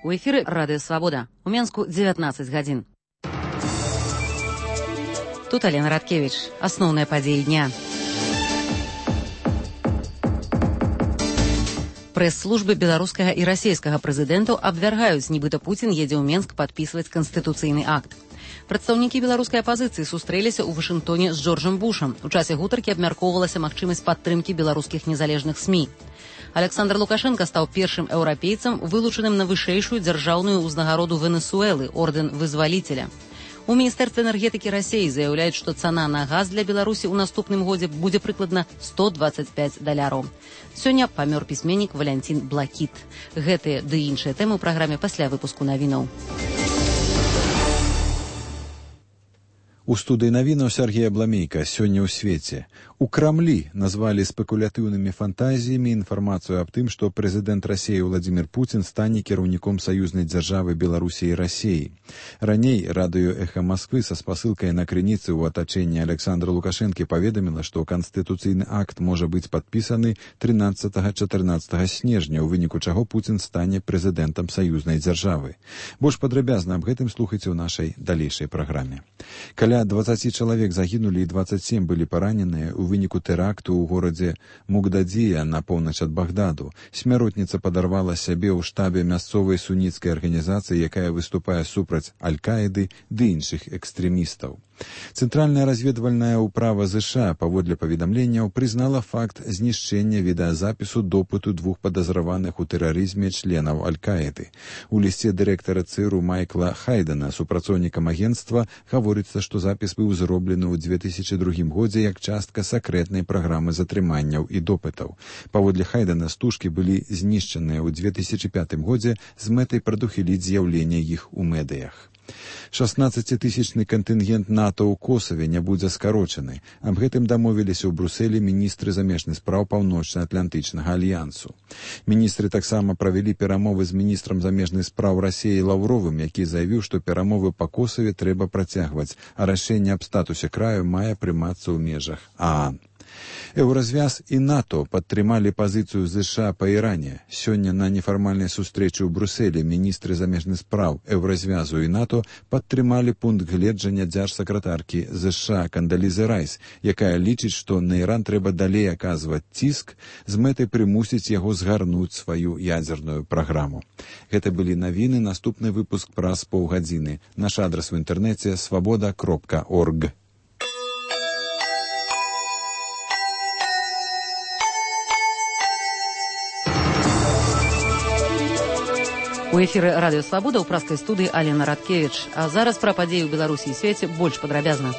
У эфіры Радыё Свабода. У Менску 19 гадзін. Тут Алена Радкевич. Асноўныя падзеі дня. Прэс-службы беларускага і расійскага прэзідэнтаў абвяргаюць, нібыта Пуцін едзе ў Менск падпісваць канстытуцыйны акт. Прадстаўнікі беларускай апазіцыі сустрэліся ў Вашынгтоне з Джорджам Бушам. У часе гутаркі абмяркоўвалася магчымасць падтрымкі беларускіх незалежных СМІ. Александр Лукашенко стаў першым еўрапейцам, вылучаным на вышэйшую дзяржаўную ўзнагароду Венесуэлы, ордэн вызваліцеля. У Міністэрстве энергетыкі Расіі заяўляюць, што цана на газ для Беларусі ў наступным годзе будзе прыкладна $125. Сёння памёр пісьменнік Валянцін Блакіт. Гэтыя ды іншыя тэмы ў праграме пасля выпуску навінаў. У студыі навінаў Сергея Бламейка сёння ў свеце. У Крамлі назвалі спекулятыўнымі фантазіямі інфармацыю аб тым, што прэзідэнт Расіі Владзімір Пуцін стане кіраўніком саюзнай дзяржавы Беларусі і Расіі. Раней радыё «Эхо Москвы» са спасылкай на крыніцы ў атачэнні Александра Лукашэнкі паведаміла, што канстытуцыйны акт можа быць падпісаны 13-14 снежня, у выніку чаго Пуцін стане прэзідэнтам саюзнай дзяржавы. Больш падрабязна аб гэтым слухайце ў нашай далейшай праграме. Каля 20 чалавек загінулі і 27 былі параненыя у выніку тэракту ў горадзе Мугдадзія на поўнач ад Багдаду. Смяротніца падарвала сябе ў штабе мясцовай суніцкай арганізацыі, якая выступае супраць Аль-Каіды ды іншых экстрэмістаў. Цэнтральная разведвальная ўправа ЗША, паводле паведамленняў, прызнала факт знішчэння відэазапісу допыту двух падазраваных у тэрарызме членаў Аль-Каіды. У лісце дырэктара ЦРУ Майкла Хайдена, супрацоўнікам агенцтва, гаворыцца, што запіс быў зроблены ў 2002 годзе як частка сакрэтнай праграмы затрыманняў і допытаў. Паводле Хайдена, стужкі былі знішчаныя ў 2005 годзе з мэтай прадухіліць з'яўлення іх у медыях. 16-тысячны кантынгент НАТО ў Косаве не будзе скарочаны. Аб гэтым дамовіліся ў Брусэлі міністры замежных спраў Паўночна-Атлантычнага альянсу. Міністры таксама правялі перамовы з міністрам замежных спраў Расіі Лаўровым, які заявіў, што перамовы па Косаве трэба працягваць, а рашэнне аб статусе краю мае прымацца ў межах ААН. Еўразвяз і НАТО падтрымалі пазіцыю ЗША па Іране. Сёння на нефармальнай сустрэчы ў Брусэлі міністры замежных спраў Еўразвязу і НАТО падтрымалі пункт гледжання дзяржсакратаркі ЗША Кандалізы Райс, якая лічыць, што на Іран трэба далей аказваць ціск з мэтай прымусіць яго згарнуць сваю ядзерную праграму. Гэта былі навіны, наступны выпуск праз паўгадзіны. Наш адрас у інтэрнэце svoboda.org. У эфіры Радыё Свабода ў праскай студыі Алена Радкевич. А зараз пра падзеі ў Беларусі і свеце больш падрабязна.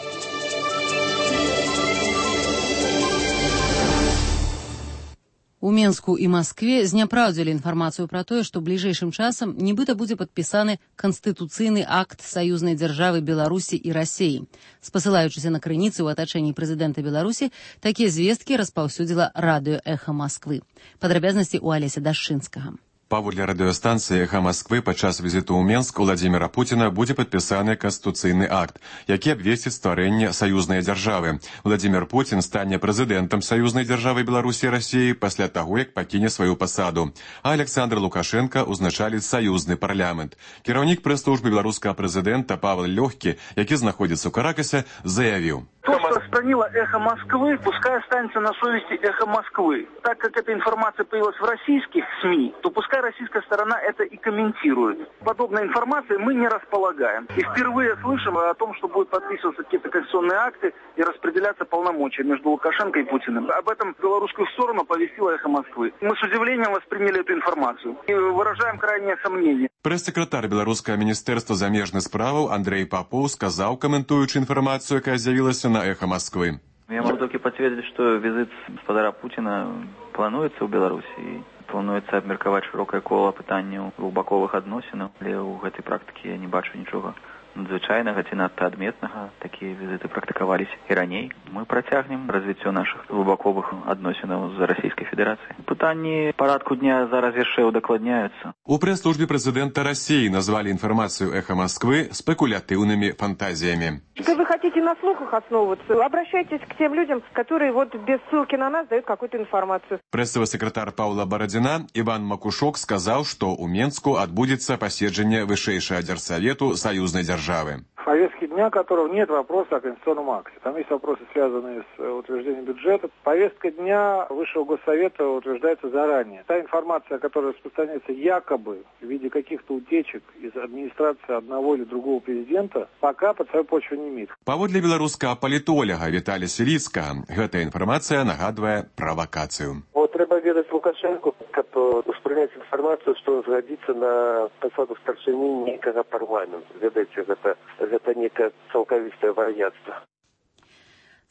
У Менску і Маскве зняпраўдзілі інфармацыю пра тое, што бліжэйшым часам нібыта будзе падпісаны канстытуцыйны акт саюзнай дзяржавы Беларусі і Расіі. Спасылаючыся на крыніцы ў атачэнні прэзідэнта Беларусі, такія звесткі распаўсюдзіла радыё «Эхо Москвы». Падрабязнасці ў Алеся Дашчынскага. Паводле радыёстанцыі «Эхо Москвы» падчас візіту ў Менск Владзіміра Пуціна будзе падпісаны канстытуцыйны акт, які абвесціць стварэнне саюзнай дзяржавы. Владзімір Пуцін стане прэзідэнтам саюзнай дзяржавы Беларусі і Расіі пасля таго, як пакіне сваю пасаду. А Александр Лукашенко ўзначаліць саюзны парламент. Кіраўнік прэс-службы беларускага прэзідэнта Павел Лёгкі, які знаходзіцца ў Каракасе, заявіў: То, что распространила «Эхо Москвы», пускай останется на совести «Эхо Москвы». Так как эта информация появилась в российских СМИ, то пускай российская сторона это и комментирует. Подобной информацией мы не располагаем. И впервые слышим о том, что будут подписываться какие-то конституционные акты и распределяться полномочия между Лукашенко и Путиным. Об этом белорусскую сторону повестила «Эхо Москвы». Мы с удивлением восприняли эту информацию и выражаем крайнее сомнение. Прэс-сакратар беларускага міністэрства замежных справаў Андрей Попов сказаў, каментуючы інфармацыю, якая з'явілася на «Эхо Москвы». Я могу только подтвердить, что визит господара Путина плануецца ў Беларусі. Плануецца абмеркаваць шырокае кола пытанняў двухбаковых адносінаў, але ў гэтай практыкі я не бачу нічога надзвычайнага ці надта адметнага. Такія візіты практыкаваліся і раней. Мы працягнем развіццё нашых глыбаковых адносінаў з Расійскай Федэрацыяй. Пытанні парадку дня зараз яшчэ удакладняюцца. У пресс-службе президента России назвали информацию «Эхо Москвы» спекулятивными фантазиями. Если вы хотите на слухах основываться, обращайтесь к тем людям, которые без ссылки на нас дают какую-то информацию. Прессовый секретарь Паўла Барадзіна Иван Макушок сказал, что у Менску отбудется посещение Высшейшего Держсовету союзной державы. В повестке дня которого нет вопроса о конституционном акте. Там есть вопросы, связанные с утверждением бюджета. Повестка дня Высшего Госсовета утверждается заранее. Та информация, которая распространяется якобы в виде каких-то утечек из администрации одного или другого президента, пока под свою почву не имеет. Паводле беларускага палітолага Віталія Сіліцкага, гэтая інфармацыя нагадвае правакацыю. Треба ведаць Лукашенко, каб успрыняць інфармацыю, што згадзіцца на пасаду старшыні нейкага парламенту. Ведаеце, гэта некае цалкавістае вар'яцтва.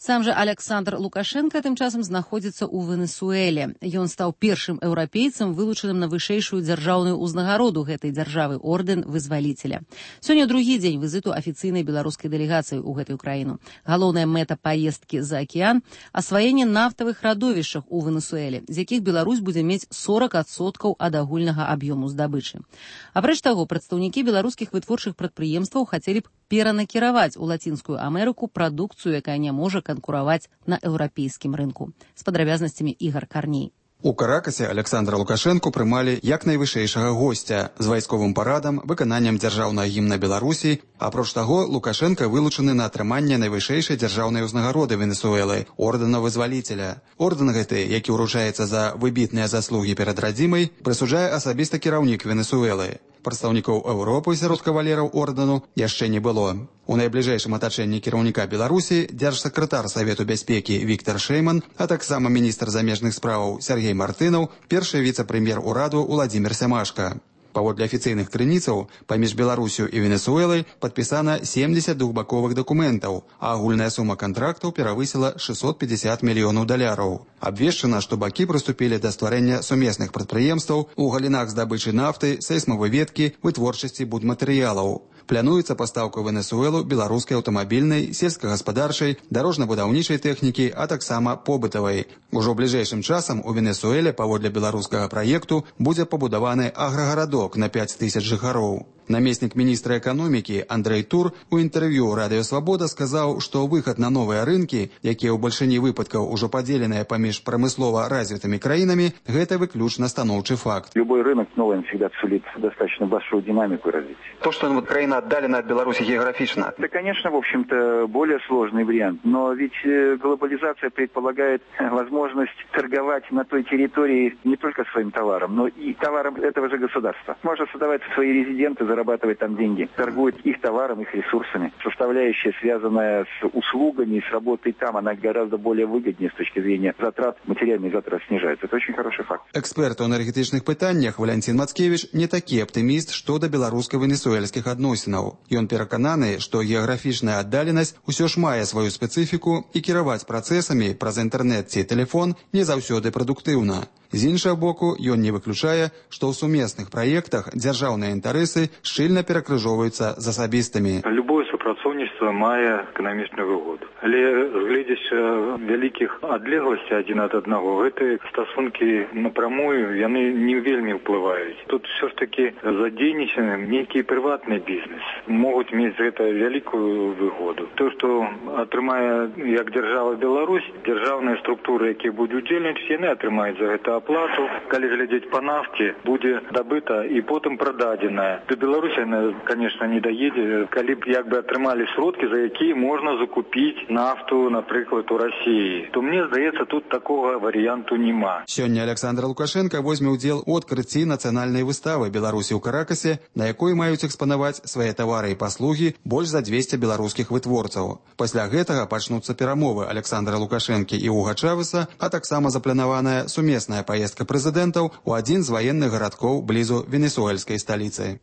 Сам жа Александр Лукашенко тым часам знаходзіцца ў Венесуэле. Ён стаў першым еўрапейцам, вылучаным на вышэйшую дзяржаўную ўзнагароду гэтай дзяржавы — ордэн вызваліцеля. Сёння другі дзень візіту афіцыйнай беларускай дэлегацыі ў гэтую краіну. Галоўная мэта паездкі за акіян — асваенне нафтавых радовішчах у Венесуэле, з якіх Беларусь будзе мець 40% ад агульнага аб'ёму здабычы. Апрэч таго, прадстаўнікі беларускіх вытворчых прадпрыемстваў хацелі б перанакіраваць у Лацінскую Амерыку прадукцыю, якая не можа канкураваць на еўрапейскім рынку. З падрабязнасцямі Ігор Карней. У Каракасе Александра Лукашенко прымалі як найвышэйшага госця з вайсковым парадам, выкананнем дзяржаўнага гімна Беларусі. Апроч таго, Лукашенко вылучаны на атрыманне найвышэйшай дзяржаўнай узнагароды Венесуэлы — ордэна вызваліцеля. Ордэн гэты, які ўручаецца за выбітныя заслугі перад радзімай, прысуджае асабіста кіраўнік Венесуэлы. Прадстаўнікоў Еўропы сярод кавалераў ордэну яшчэ не было. У найбліжэйшым атачэнні кіраўніка Беларусі дзяржсакратар Савету бяспекі Віктор Шэйман, а таксама міністр замежных справаў Сергей Мартынаў, першы віцэ-прэм'ер ураду Уладзімір Сямашка. Паводле афіцыйных крыніцаў, паміж Беларусю і Венесуэлай падпісана 70 двухбаковых дакументаў, а агульная сума кантрактаў перавысіла $650 мільёнаў. Абвешчана, што бакі прыступілі да стварэння сумесных прадпрыемстваў у галінах здабычы нафты, сейсмавыведкі, вытворчасці будматэрыялаў. Плануецца пастаўка ў Венесуэлу беларускай аўтамабільнай, сельскагаспадарчай, дарожна-будаўнічай тэхнікі, а таксама побытавай. Ужо бліжэйшым часам у Венесуэле паводле беларускага праекту будзе пабудаваны аграгарадок на 5000 жыхароў. Намеснік міністра эканомікі Андрэй Тур у інтэрв'ю Радыё Свабода сказаў, што выхад на новыя рынкі, якія ў бальшыні выпадкаў ужо падзеленыя паміж прамыслова развітымі краінамі, гэта выключна станоўчы факт. Любой рынок новый всегда сулит достаточно большую динамику развития. То, что краина отдалена от Беларуси географично. Это, конечно, в общем-то, более сложный вариант. Но ведь глобализация предполагает возможность торговать на той территории не только своим товаром, но и товаром этого же государства. Можно создавать свои резиденты, зарабатывать там деньги. Торгуют их товаром, их ресурсами. Составляющая, связанная с услугами, с работой там, она гораздо более выгоднее с точки зрения затрат. Материальные затраты снижаются. Это очень хороший факт. Эксперт у энергетычных пытаннях Валентин Мацкевич не такі аптыміст што да беларуска-венесуэльскіх адносінаў. Ён перакананы, што геаграфічная аддаленасць усё ж мае сваю спецыфіку і кіраваць працэсамі праз інтэрнэт ці тэлефон не заўсёды прадуктыўна. З іншага боку, ён не выключае, што ў сумесных праектах дзяржаўныя інтарэсы шчыльна перакрыжоўваюцца з асабістымі. Любое супрацоўніцтва мае эканамічную выгоду. Але гледзячы вялікіх адлегласцей адзін ад аднаго, гэтыя стасункі напрамую яны не вельмі ўплываюць. Тут все ж таки задзейнічаны нейкі прыватны бізнес. Могуць мець гэта вялікую выгоду. То, што атрымае як дзяржава Беларусь, дзяржаўныя структуры, якія будуць удзельнічаць, яны атрымаюць за гэта аплату. Калі глядзець па нафце, будзе дабыта і потым прададзеная. До Беларусі яна, конечно, не даедзе, калі б як бы атрымалі сродкі, за якія можна закупіць нафту, напрыклад, у Расіі. То мне здаецца, тут такога варыянту няма. Сёння Александр Лукашенко возьме ўдзел у адкрыцці нацыянальнай выставы Беларусі ў Каракасе, на якой маюць экспанаваць свае тавары і паслугі больш за 200 беларускіх вытворцаў. Пасля гэтага пачнуцца перамовы Александра Лукашэнкі і Уга Чавеса, а таксама запланаваная сумесная паездка прэзідэнтаў у адзін з ваенных гарадкоў блізу венесуэльскай сталіцы.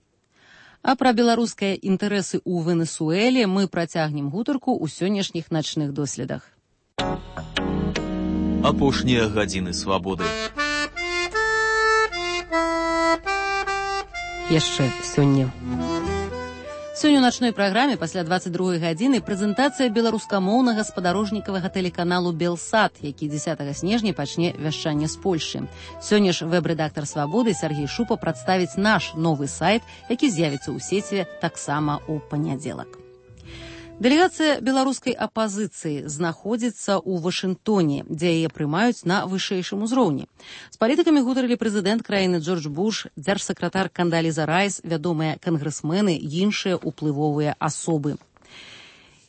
А пра беларускія інтарэсы ў Венесуэле мы працягнем гутарку ў сённяшніх начных доследах. Апошнія гадзіны свабоды. Яшчэ сёння. Сёння ў начной праграме пасля 22 гадзіны прэзентацыя беларускамоўнага спадарожнікавага тэлеканалу «Белсат», які 10 снежня пачне вяшчанне з Польшчы. Сёння ж вэб-рэдактар «Свабоды» Сергей Шупа прадставіць наш новы сайт, які з'явіцца ў сеціве таксама ў панядзелак. Дэлегацыя беларускай апазіцыі знаходзіцца ў Вашынгтоне, дзе яе прымаюць на вышэйшым узроўні. З палітыкамі гутарылі прэзідэнт краіны Джордж Буш, дзяржсакратар Кандаліза Райс, вядомыя кангрэсмены і іншыя ўплывовыя асобы.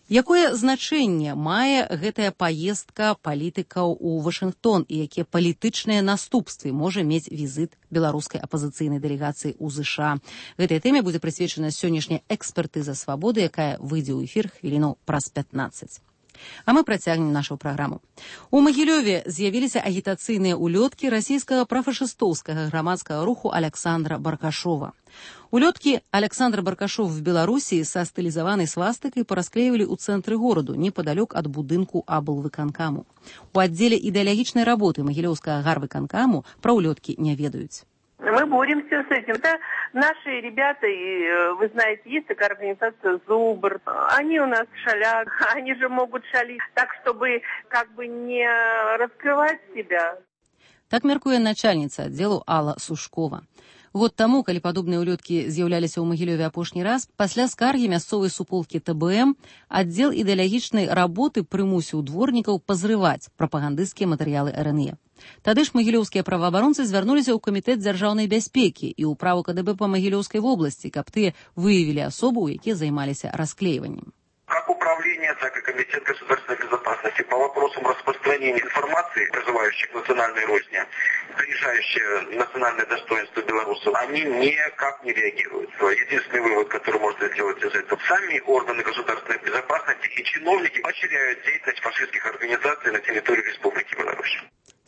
Якое значэнне мае гэтая паездка палітыкаў у Вашынгтон і якія палітычныя наступствы можа мець візіт беларускай апазіцыйнай дэлегацыі ў ЗША? Гэтай тэме будзе прысвечана сённяшняя экспертыза «Свабоды», якая выйдзе ў эфір хвілінаў праз 15. А мы працягнем нашу праграму. У Магілёве з'явіліся агітацыйныя улёткі расійскага прафашыстоўскага грамадскага руху Александра Баркашова. Улёткі Александр Баркашов в Беларусі са стылізаванай свастыкай парасклеивалі ў цэнтры гораду, непадалёк ад будынку аблвыканкаму. У аддзеле ідэалагічнай работы Магілёўскага гарвыканкаму пра улёткі не ведаюць. Мы боремся с этим. Да, наши ребята, и вы знаете, есть такая организация «Зубр». Они у нас шалят, они же могут шалить так, чтобы как бы не раскрывать себя. Так мяркуе начальніца аддзелу Алла Сушкова. Год таму, калі падобныя улёткі з'яўляліся ў Магілёве апошні раз, пасля скаргі мясцовай суполкі ТБМ аддзел ідэалагічнай работы прымусіў дворнікаў пазрываць прапагандысцкія матэрыялы РНЕ. Тады ж магілёўскія праваабаронцы звярнуліся ў камітэт дзяржаўнай бяспекі і ўправу КДБ па Магілёўскай вобласці, каб тыя выявілі асобу, якія займаліся расклеиванием. Как управление, так и Комитет государственной безопасности по вопросам распространения информации, призывающих к национальной розни, принижающие национальное достоинство белорусов, они никак не реагируют. Единственный вывод, который можно сделать из этого: сами органы государственной безопасности и чиновники поощряют деятельность фашистских организаций на территории Республики Беларусь.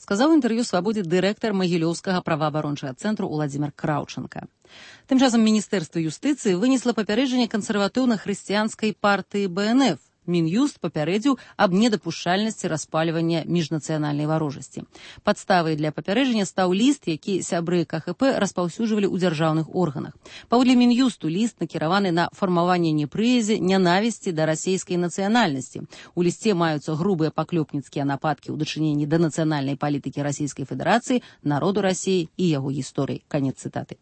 Сказаў інтэрв'ю «Свабодзе» дырэктар Магілёўскага праваабарончага цэнтру Уладзімір Краўчанка. Тым часам Міністэрства юстыцыі вынесла папярэджанне кансерватыўна-хрысціянскай партыі БНФ. Мін'юст папярэдзіў аб недапушчальнасці распальвання міжнацыянальнай варожасці. Падставай для папярэджання стаў ліст, які сябры КХП распаўсюджвалі ў дзяржаўных органах. Паводле Мін'юсту ліст накіраваны на фармаванне непрыязі, нянавісці да расейскай нацыянальнасці. У лісце маюцца грубыя паклёпніцкія нападкі ў дачыненні да нацыянальнай палітыкі Расійскай Федэрацыі, народу Расіі і яго гісторыі. Канец цытаты.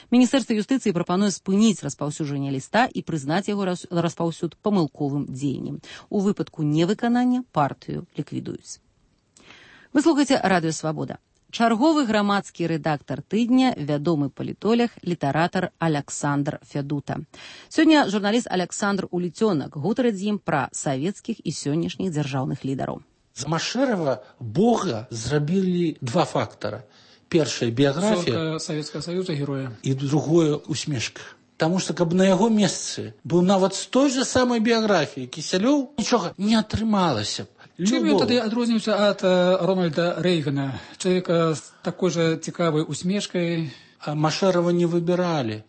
Міністэрства юстыцыі прапануе спыніць распаўсюджванне ліста і прызнаць яго распаўсюд памылковым дзеяннем. У выпадку невыканання партыю ліквідуюць. Вы слухаеце радыё «Свабода». Чарговы грамадскі рэдактар тыдня, вядомы палітолог, літаратар Александр Фядута. Сёння журналіст Александр Уліцёнак гутарыць з ім пра савецкіх і сённяшніх дзяржаўных лідараў. З Машэрава Бога зрабілі два фактара. Першая біяграфія Савецкага Саюза героя і другое усмешка. Таму што, каб на яго месцы быў нават з той же самай біяграфіі Кісялёў, нічога не атрымалася б. Чым ён тады адрозніваўся ад Рональда Рэйгана, чалавека з такой жа цікавай усмешкай? Машэрава не выбіралі.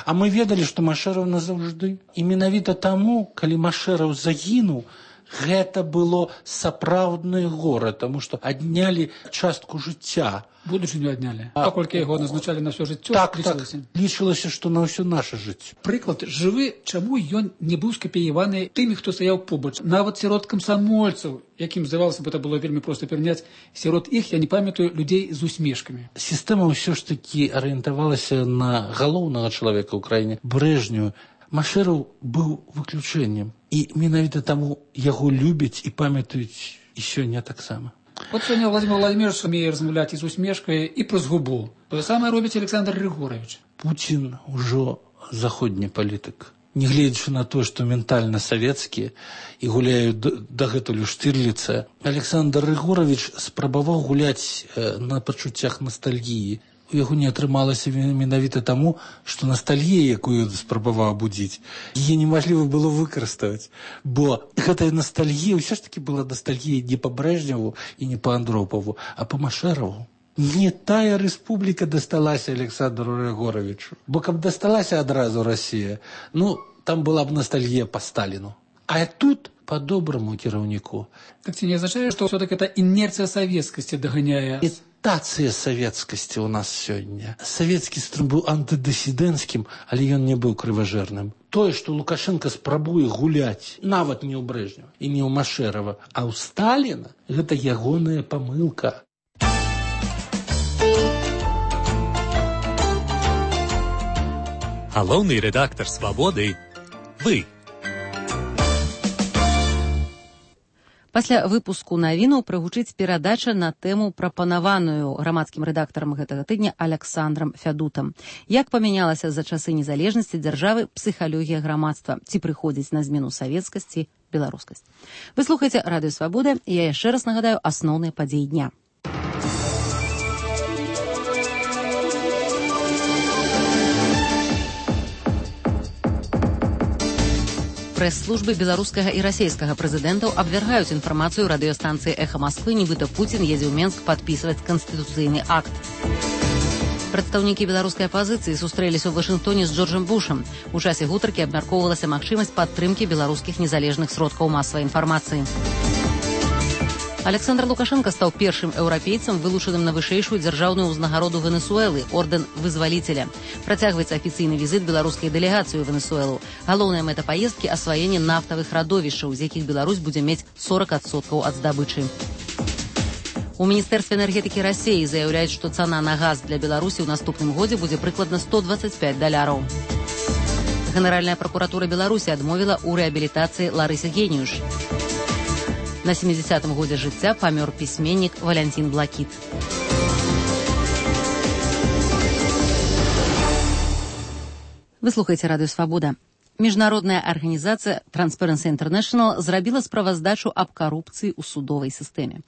А мы ведалі, што Машэраў назаўжды. І менавіта таму, калі Машэраў загінуў, гэта было сапраўднае гора, таму што аднялі частку жыцця. Будучыню аднялі. Паколькі яго назначалі на ўсё жыццё, лічылася. Лічылася, што на ўсё наша жыццё. Прыклад жывы, чаму ён не быў скапіяваны тымі, хто стаяў побач. Нават сярод камсамольцаў, якім, здавалася б, это было вельмі проста пераняць, сярод іх, я не памятаю, людзей з усмешкамі. Сістэма ўсё ж такі арыентавалася на галоўнага чалавека ў краіне, Брэжнеў. Машэраў быў выключэннем. І менавіта таму яго любяць і памятаюць і сёння таксама. Вот сёння Владимир Владимирович умее размаўляць і з усмешкай, і праз губу. Тое самае робіць Александр Григорович. Путін ужо заходні палітык. Нягледзячы на тое, што ментальна савецкі і гуляюць дагэтуль у Штырліца, Александр Григорович спрабаваў гуляць на пачуццях настальгіі. У яго не атрымалася менавіта таму, што ностальгія, якую спрабаваў будзіць, яе немажліва было выкарыставаць. Бо гэтая ностальгія ўсё ж такі была ностальгія не па Брэжневу і не па Андропаву, а па Машэраву. Не тая рэспубліка дасталася Александру Григоровичу. Бо каб дасталася адразу Расія, там была б ностальгія па Сталіну. А тут по-доброму кіраўніку. Так ці не азначае, што ўсё-таки эта інерцыя савецкасці даганяе? імітацыя савецкасці ў нас сёння. Савецкі стрым быў антыдысідэнцкім, але ён не быў крыважэрным. Тое, што Лукашенко спрабуе гуляць нават не ў Брэжнева і не ў Машэрава, а ў Сталіна, гэта ягоная памылка. Галоўны рэдактар «Свабоды» – вы. Пасля выпуску навінаў прагучыць перадача на тэму, прапанаваную грамадскім рэдактарам гэтага тыдня Александрам Фядутам. Як памянялася за часы незалежнасці дзяржавы псіхалогія грамадства? Ці прыходзіць на змену савецкасці беларускасць? Вы слухаеце Радыё Свабода, і я яшчэ раз нагадаю асноўныя падзеі дня. Прэс-службы беларускага і расейскага прэзідэнтаў абвяргаюць інфармацыю радыёстанцыі «Эхо Москвы», нібыта Пуцін едзе ў Менск падпісваць канстытуцыйны акт. Прадстаўнікі беларускай апазіцыі сустрэліся ў Вашынгтоне з Джорджам Бушам. У часе гутаркі абмяркоўвалася магчымасць падтрымкі беларускіх незалежных сродкаў масавай інфармацыі. Александр Лукашенко стаў першым еўрапейцам, вылучаным на вышэйшую дзяржаўную ўзнагароду Венесуэлы – ордэн вызваліцеля. Працягваецца афіцыйны візіт беларускай дэлегацыі ў Венесуэлу. Галоўная мэта паездкі – асваенне нафтавых радовішчаў, з якіх Беларусь будзе мець 40% ад здабычы. У Міністэрстве энергетыкі Расіі заяўляюць, што цана на газ для Беларусі ў наступным годзе будзе прыкладна $125. Генеральная пракуратура Беларусі адмовіла ў рэабілітацыі Ларысе Геніюш. На 70-м годзе жыцця памёр пісьменнік Валянцін Блакіт. Вы слухаеце Радыё Свабода. Міжнародная арганізацыя Transparency International зрабіла справаздачу аб карупцыі ў судовай сістэме.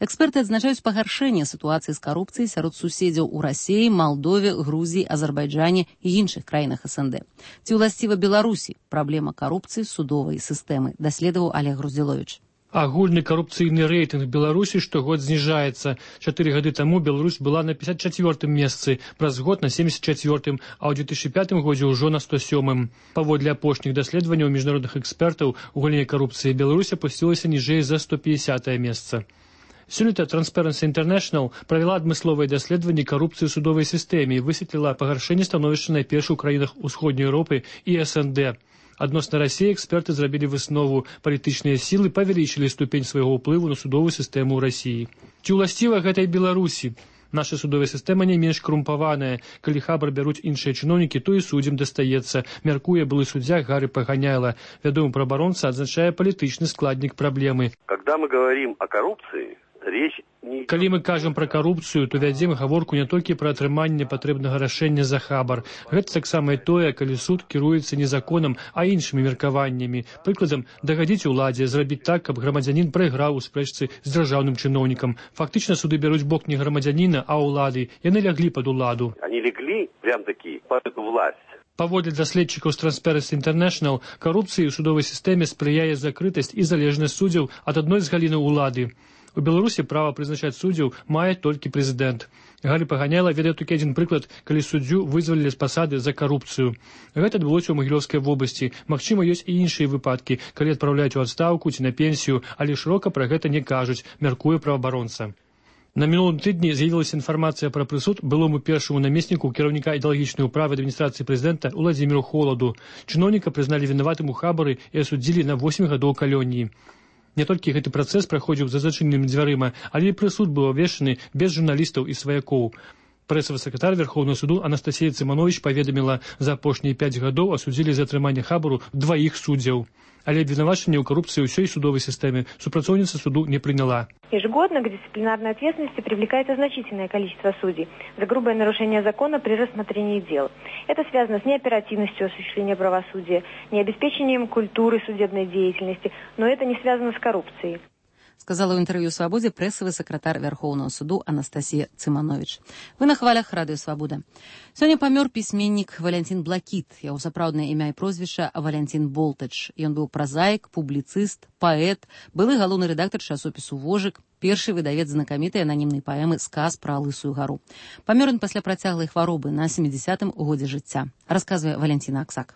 Эксперты адзначаюць пагаршэнне сітуацыі з карупцыяй сярод суседзяў у Расіі, Малдове, Грузіі, Азербайджане і іншых краінах СНД. Ці ўласціва Беларусі праблема карупцыі судовай сістэмы, даследаваў Олег Груздзіловіч. Агульны карупцыйны рэйтынг Беларусі штогод зніжаецца. 4 гады таму Беларусь была на 54-м месцы, праз год на 74-м, а ў 2005 годзе ўжо на 107-м. Паводле апошніх даследаванняў міжнародных экспертаў у галіне карупцыі Беларусь апусцілася ніжэй за 150-е месца. Сёлета Transparency International правяла адмысловае даследаванне карупцыі ў судовай сістэме і высветліла пагаршэнне становішча найперш у краінах Усходняй Еўропы і СНД. Адносна Расіі эксперты зрабілі выснову: палітычныя сілы павялічылі ступень свайго ўплыву на судовую сістэму ў Расіі. Ці ўласціва гэтай Беларусі? Наша судовая сістэма не менш карумпаваная. Калі хабар бяруць іншыя чыноўнікі, то і суддзям дастаецца, мяркуе былы суддзя Гары Паганяйла. Вядомы праабаронца адзначае палітычны складнік праблемы. Когда мы говорим о коррупции, речь Калі мы кажам пра карупцыю, то вядзем гаворку не толькі пра атрыманне патрэбнага рашэння за хабар. Гэта таксама і тое, калі суд кіруецца не законам, а іншымі меркаваннямі. Прыкладам, дагадзіць уладзе, зрабіць так, каб грамадзянін прайграў у спрэчцы з дзяржаўным чыноўнікам. Фактычна суды бяруць бок не грамадзяніна, а ўлады. Яны ляглі пад уладу. Они легли прям-таки под эту власть. Паводле даследчыкаў з Transparency International, карупцыі ў судовай сістэме спрыяе закрытасць і залежнасць суддзяў ад адной з галінаў улады. У Беларусі права прызначаць суддзяў мае толькі прэзідэнт. Гары Паганяйла ведае толькі адзін прыклад, калі суддзю вызвалілі з пасады за карупцыю. Гэта адбылося ў Магілёўскай вобласці. Магчыма, ёсць і іншыя выпадкі, калі адпраўляюць у адстаўку ці на пенсію, але шырока пра гэта не кажуць, мяркуе праваабаронца. На мінулым тыдні з'явілася інфармацыя пра прысуд былому першаму намесніку кіраўніка ідэалагічнай управы адміністрацыі прэзідэнта Уладзіміру Холаду. Чыноўніка прызналі вінаватым у хабары і асудзілі на 8 гадоў калоніі. Не толькі гэты працэс праходзіў за зачыненымі дзвярыма, але і прысуд быў абвешчаны без журналістаў і сваякоў. Прэсавы сакратар Верхоўнага суду Анастасія Цыманович паведаміла, за апошнія 5 гадоў асудзілі за атрыманне хабару 2 суддзяў. Але обвинувачение у коррупции у всей судовой системе супрацовница суду не приняла. Ежегодно к дисциплинарной ответственности привлекается значительное количество судей за грубое нарушение закона при рассмотрении дел. Это связано с неоперативностью осуществления правосудия, необеспечением культуры судебной деятельности, но это не связано с коррупцией. Сказала ў інтэрв'ю «Свабодзе» прэсавы сакратар Вярхоўнага суду Анастасія Цыманович. Вы на хвалях Радыё Свабода. Сёння памёр пісьменнік Валянцін Блакіт. Яго сапраўднае імя і прозвішча Валянцін Болтач. Ён быў празаік, публіцыст, паэт, былы галоўны рэдактар часопісу «Вожык», першы выдавец знакамітай ананімнай паэмы «Сказ пра Лысую гару». Памёр ён пасля працяглай хваробы на 70-м годзе жыцця. Расказвае Валянціна Аксак.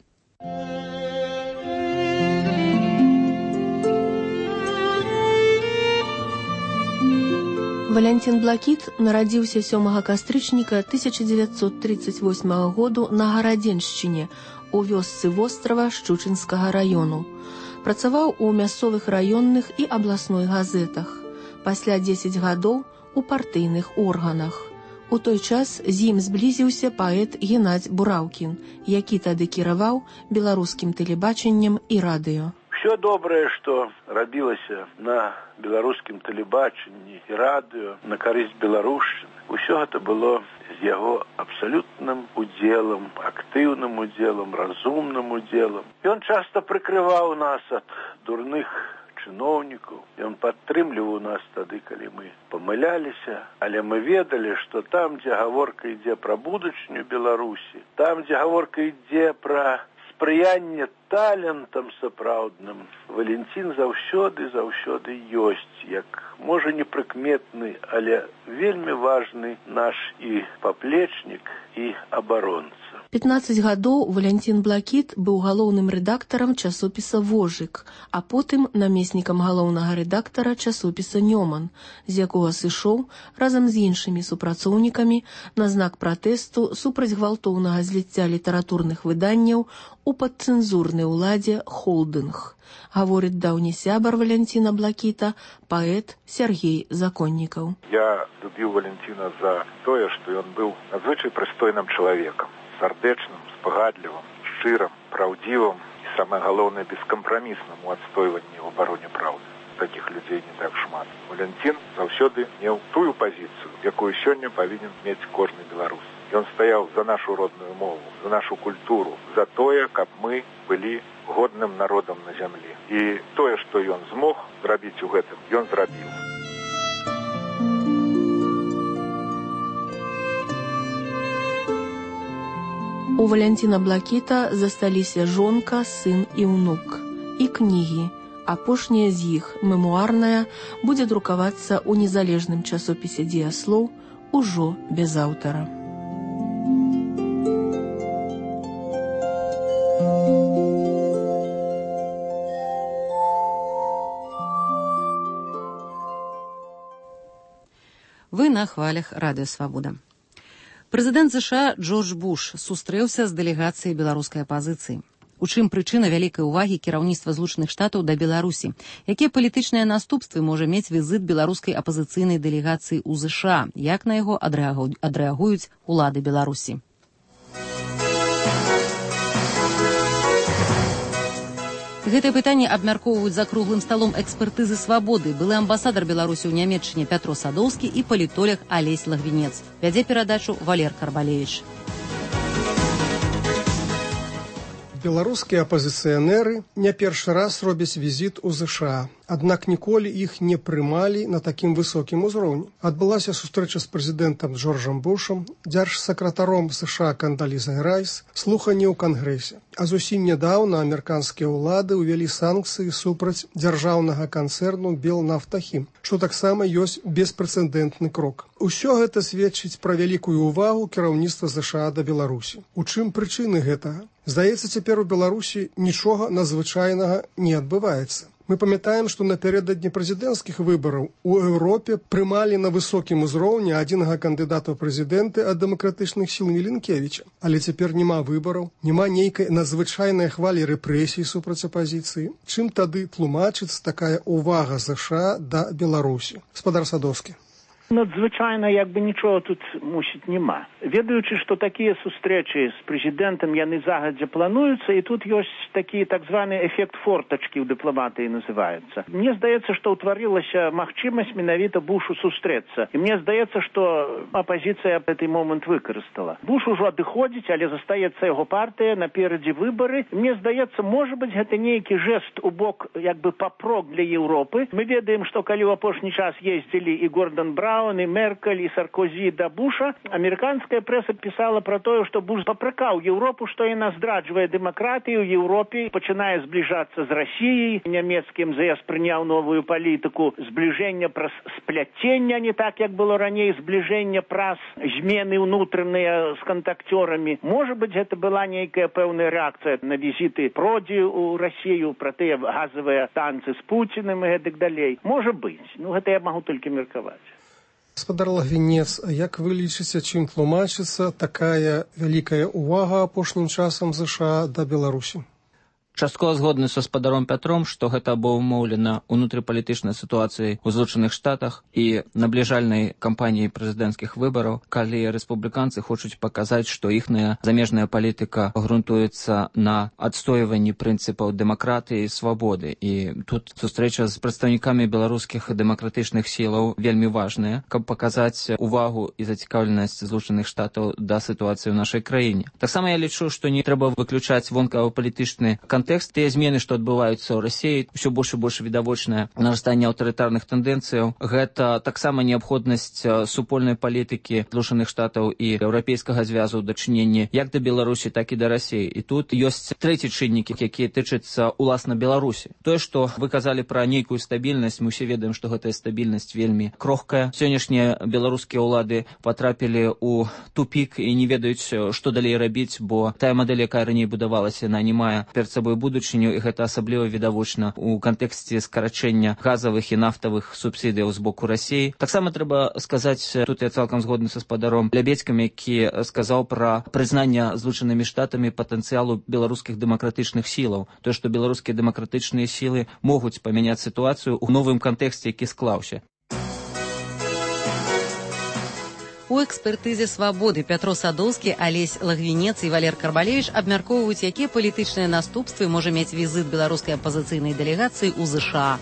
Валянцін Блакіт нарадзіўся 7 кастрычніка 1938 году на Гарадзеншчыне, у вёсцы вострава Шчучынскага раёну. Працаваў у мясцовых раённых і абласной газетах. Пасля 10 гадоў у партыйных органах. У той час з ім зблізіўся паэт Геннадзь Бураўкін, які тады кіраваў беларускім тэлебачаннем і радыё. Все добрае, што рабілася на беларускім тэлебачанні і радыё на карысць беларушчыны, усё гэта было з яго абсалютным удзелам, актыўным удзелам, разумным удзелам. Ён часта прыкрываў нас ад дурных чыноўнікаў. Ён падтрымліваў нас тады, калі мы памыляліся, але мы ведалі, што там, дзе гаворка ідзе пра будучыню Беларусі, там, дзе гаворка ідзе пра спрыянне талентам сапраўдным, Валянцін заўсёды ёсць, як, можа, непрыкметны, але вельмі важны наш і паплечнік, і абаронца. 15 гадоў Валянцін Блакіт быў галоўным рэдактарам часопіса «Вожык», а потым намеснікам галоўнага рэдактара часопіса «Нёман», з якога сышоў разам з іншымі супрацоўнікамі на знак пратэсту супраць гвалтоўнага зліцця літаратурных выданняў у падцэнзурнай уладзе «Холдынг», гаворыць даўні сябар Валянціна Блакіта, паэт Сергей Законнікаў. Я любіў Валянціна за тое, што ён быў надзвычай прыстойным чалавекам, сардэчным, спагадлівым, шчырым, праўдзівым і, самае галоўнае, бескампрамісным у адстойванні ў абароне праўды. Такіх людзей не так шмат. Валянцін заўсёды меў тую пазіцыю, якую сёння павінен мець кожны беларус. Ён стаяў за нашу родную мову, за нашу культуру, за тое, каб мы былі годным народам на зямлі. І тое, што ён змог зрабіць у гэтым, ён зрабіў. У Валянціна Блакіта засталіся жонка, сын і ўнук. І кнігі. Апошняя з іх, мемуарная, будзе друкавацца ў незалежным часопісе «Дзеяслоў» ужо без аўтара. Вы на хвалях Радыё Свабода. Прэзідэнт США Джордж Буш сустрэўся з дэлегацыяй беларускай апазіцыі. У чым прычына вялікай увагі кіраўніцтва Злучаных Штатаў да Беларусі? Якія палітычныя наступствы можа мець візіт беларускай апазіцыйнай дэлегацыі ў ЗША? Як на яго адрэагуюць улады Беларусі? Гэтае пытанне абмяркоўваюць за круглым сталом экспертызы «Свабоды», былы амбасадар Беларусі ў Нямецчыне Пятро Садоўскі і палітолог Алесь Лагвінец. Вядзе перадачу Валер Карбалевіч. Беларускія апазіцыянеры не першы раз робяць візіт у ЗША. Аднак ніколі іх не прымалі на такім высокім узроўні. Адбылася сустрэча з прэзідэнтам Джорджам Бушам, дзяржсакратаром США Кандалізай Райс, слуханні ў Кангрэсе. А зусім нядаўна амерыканскія ўлады ўвялі санкцыі супраць дзяржаўнага канцэрну «Белнафтахім», што таксама ёсць беспрэцэдэнтны крок. Усё гэта сведчыць пра вялікую ўвагу кіраўніцтва ЗША да Беларусі. У чым прычыны гэтага? Здаецца, цяпер у Беларусі нічога надзвычайнага не адбываецца. Мы памятаем, што напярэдадні прэзідэнцкіх выбараў у Еўропе прымалі на высокім узроўні адзінага кандыдата ў прэзідэнты ад дэмакратычных сіл Міленкевіча. Але цяпер няма выбараў, няма нейкай надзвычайнай хвалі рэпрэсій супраць апазіцыі. Чым тады тлумачыцца такая ўвага ЗША да Беларусі? Гаспадар Садоўскі. Надзвычайна, як бы нічого тут, мусіць, нема. Ведаючы, што такія сустрэчы з прэзідэнтам яны загадзя плануюцца, і тут ёсць такі так званы эфект фортачкі ў дыпламатыі называецца. Мне здаецца, што ўтварылася магчымасць менавіта Бушу сустрэцца. І мне здаецца, што апазіцыя гэты момант выкарыстала. Буш ужо адыходзіць, але застаецца яго партыя, наперадзе выбары. Мне здаецца, можа быць, гэта нейкі жэст у бок, як бы папрок для Еўропы. Мы ведаем, што калі ў апошні час ездзілі і Гордон Браун, и Меркель, и Саркозі да Буша, амерыканская прэса пісала пра тое, што Буш папракаў Еўропу, што яна здраджвае дэмакратыю ў Еўропе, пачынае збліжацца з Расіяй. Нямецкім ЗС прыняў новую палітыку збліжэння праз спляцення, не так, як было раней, збліжэння праз змены ўнутраныя з кантакцёрамі. Можа быць, гэта была нейкая пэўная рэакцыя на візіты Продзі ў Расію, пра тыя газавыя танцы з Пуціным і гэтак далей. Можа быць. Ну, гэта я магу толькі меркаваць. Гаспадар Лагвінец, як вы лічыце, чым тлумачыцца такая вялікая ўвага апошнім часам ЗША да Беларусі? Часткова згодны са гаспадаром Пятром, што гэта абумоўлена унутрыпалітычнай сітуацыяй у Злучаных Штатах і набліжальнай кампаніяй прэзідэнцкіх выбараў, калі рэспубліканцы хочуць паказаць, што іхная замежная палітыка грунтуецца на адстойванні прынцыпаў дэмакратыі і свабоды. І тут сустрэча з прадстаўнікамі беларускіх дэмакратычных сілаў вельмі важная, каб паказаць увагу і зацікаўленасць Злучаных Штатаў да сітуацыі ў нашай краіне. Таксама я лічу, што не трэба выключаць вонкава-палітычны контекст. Тыя змены, што адбываюцца ў Расіі, ўсё больш і больш відавочнае нарастанне аўтарытарных тэндэнцыяў. Гэта таксама неабходнасць супольнай палітыкі Злучаных Штатаў і еўрапейскага звязу ў дачыненні як да Беларусі, так і да Расіі. І тут ёсць трэці чыннікі, якія тычацца уласна Беларусі. Тое, што вы казалі пра нейкую стабільнасць, мы ўсе ведаем, што гэтая стабільнасць вельмі крохкая. Сённяшнія беларускія ўлады патрапілі ў тупік і не ведаюць, што далей рабіць, бо тая мадэль, якая раней будавалася, яна не мае перад сабой будучыню, і гэта асабліва відавочна ў кантэксце скарачэння газавых і нафтавых субсідыяў з боку Расіі. Таксама трэба сказаць, тут я цалкам згодны са гаспадаром Лябедзькім, які сказаў пра прызнанне Злучанымі Штатамі патэнцыялу беларускіх дэмакратычных сілаў. Тое, што беларускія дэмакратычныя сілы могуць памяняць сітуацыю ў новым кантэксце, які склаўся. У экспертызе «Свабоды» Пятро Садоўскі, Алесь Лагвінец і Валер Карбалевіч абмяркоўваюць, якія палітычныя наступствы можа мець візіт беларускай апазіцыйнай дэлегацыі ў ЗША.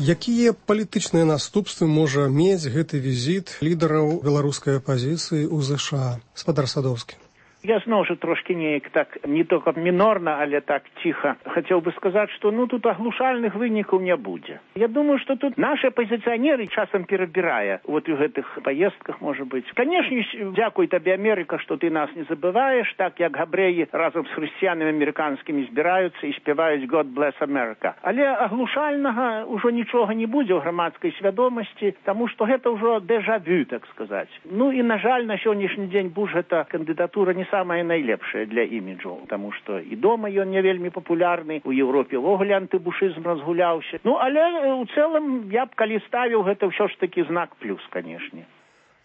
Якія палітычныя наступствы можа мець гэты візіт лідараў беларускай апазіцыі ў ЗША? Гаспадар Садоўскі. Я зноў жа трошкі неяк так, не толькі мінорна, але так ціха хацеў бы сказаць, што тут аглушальных вынікаў не будзе. Я думаю, што тут нашы апазіцыянеры часам перабірае у гэтых паездках, можа быць. Канешне, дзякуй табе, Амерыка, што ты нас не забываеш, так як габрэі разам з хрысціянамі амерыканскімі збіраюцца і спяваюць God Bless America. Але аглушальнага ўжо нічога не будзе ў грамадскай свядомасці, таму што гэта ўжо дэжавю, так сказаць. І, на жаль, на сённяшні дзень Буш гэта кандыдатура не самая найлепшая для іміджу, таму што і дома ён не вельмі папулярны, у Еўропе ўвогуле антыбушызм разгуляўся. Але ў цэлым я б калі ставіў гэта ўсё ж такі знак плюс, канешне.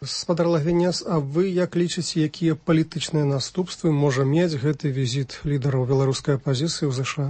Гаспадар Лагвінец, а вы як лічыце, якія палітычныя наступствы можа мець гэты візіт лідараў беларускай апазіцыі ў ЗША?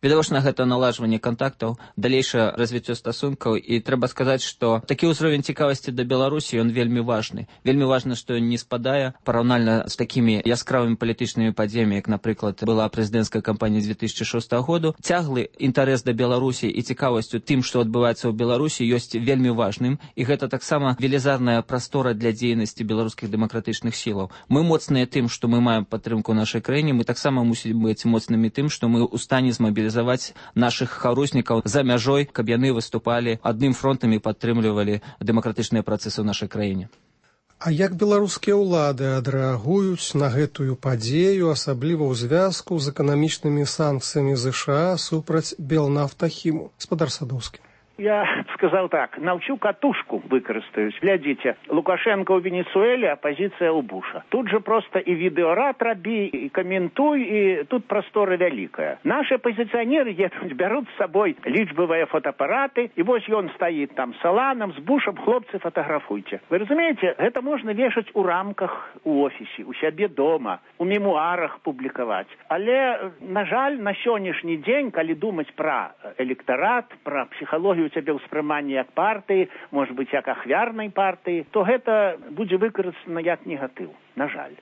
Відавочна, гэта наладжванне кантактаў, далейшае развіццё стасункаў, і трэба сказаць, што такі ўзровень цікавасці да Беларусі, ён вельмі важны. Вельмі важна, што ён не спадае параўнальна з такімі яскравымі палітычнымі падзеямі, як, напрыклад, была прэзідэнцкая кампанія 2006 году. Цяглы інтарэс да Беларусі і цікавасцю тым, што адбываецца ў Беларусі, ёсць вельмі важным, і гэта таксама велізарная прастора для дзейнасці беларускіх дэмакратычных сілаў. Мы моцныя тым, што мы маем падтрымку ў нашай краіне, мы таксама мусім быць моцнымі тым, што мы ў стане змабілізаваць наших харуснікаў за мяжой, каб яны выступалі адным фронтам і падтрымлівалі дэмакратычныя працэсы ў нашай краіне. А як беларускія ўлады адрэагуюць на гэтую падзею, асабліва ў звязку з эканамічнымі санкцыямі ЗША супраць Белнафтахіму? Гаспадар Садоўскі. Я сказаў так, навчу катушку выкарыстаюсь. Глядзіце, Лукашенко ў Венесуэле, апозіцыя ў Буша. Тут же просто і відэорад рабі, і каментуй, і тут прастора вялікая. Нашы апозіцыянеры едуць, бяруць з сабой лічбавыя фотоапараты, і вось ён стаіць там саланам, з Бушам, хлопцы, фатаграфуйце. Вы разумееце, гэта можна вешаць у рамках у офісе, у сябе дома, у мемуарах публікаваць. Але, на жаль, на сённяшні дзень, калі думаць пра электарат, пра псіхалогію у цябе ўспрыманне як партыі, можа быць, як ахвярнай партыі, то гэта будзе выкарыстана як негатыў, на жаль.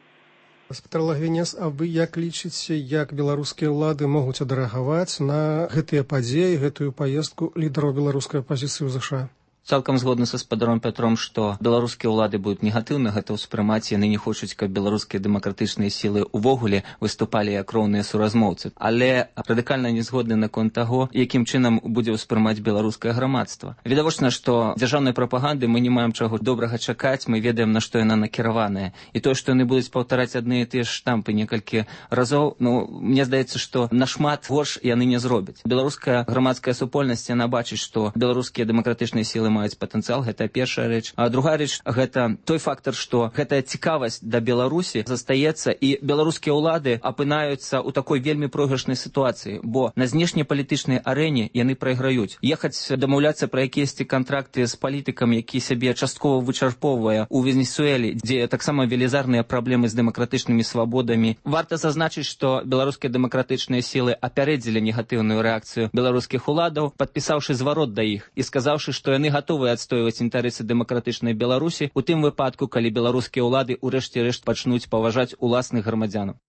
Гаспадар Лагвінец, а вы як лічыце, як беларускія ўлады могуць адрэагаваць на гэтыя падзеі, гэтую паездку лідараў беларускай апазіцыі ў ЗША? Цалкам згодны са гаспадаром Пятром, што беларускія ўлады будуць негатыўна гэта ўспрымаць, яны не хочуць, каб беларускія дэмакратычныя сілы ўвогуле выступалі як роўныя суразмоўцы. Але радыкальна не згодны наконт таго, якім чынам будзе ўспрымаць беларускае грамадства. Відавочна, што дзяржаўнай прапаганды мы не маем чаго добрага чакаць, мы ведаем, на што яна накіраваная. І тое, што яны будуць паўтараць адны і тыя ж штампы некалькі разоў, мне здаецца, што нашмат горш яны не зробяць. Беларуская грамадская супольнасць, яна бачыць, што беларускія дэмакратычныя сілы маюць патэнцыял, гэта першая рэч. А другая рэч, гэта той фактар, што гэтая цікавасць да Беларусі застаецца, і беларускія ўлады апынаюцца ў такой вельмі пройгрышнай сітуацыі, бо на знешнепалітычнай арэне яны прайграюць. Ехаць дамаўляцца пра якіясьці кантракты з палітыкам, які сябе часткова вычарпоўвае ў Венесуэлі, дзе таксама велізарныя праблемы з дэмакратычнымі свабодамі. Варта зазначыць, што беларускія дэмакратычныя сілы апярэдзілі негатыўную рэакцыю беларускіх уладаў, падпісаўшы зварот да іх і сказаўшы, што яны гатовыя адстойваць інтарэсы дэмакратычнай Беларусі у тым выпадку, калі беларускія ўлады ў рэшце рэшт пачнуць паважаць уласных грамадзянаў.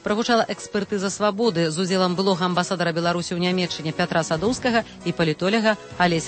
Прагучала экспертыза свабоды з удзелам былога амбасадара Беларусі ў Нямецчыне Пятра Садоўскага і палітоляга Алеся